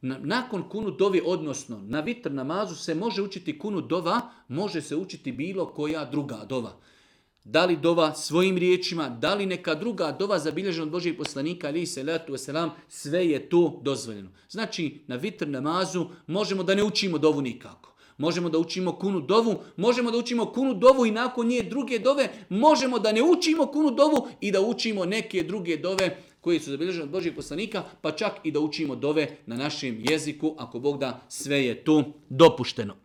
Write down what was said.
Nakon kunut dovi, odnosno na vitr namazu se može učiti kunut dova, može se učiti bilo koja druga dova. Da li dova svojim riječima, da li neka druga dova zabilježena od Božijeg poslanika, alejhi selatu vesselam, sve je to dozvoljeno. Znači, na vitr namazu možemo da ne učimo dovu nikako. Možemo da učimo kunut dovu, možemo da učimo kunut dovu i nakon nje druge dove, možemo da ne učimo kunut dovu i da učimo neke druge dove koje su zabilježene od Božijeg poslanika, pa čak i da učimo dove na našem jeziku, ako Bog da, sve je to dopušteno.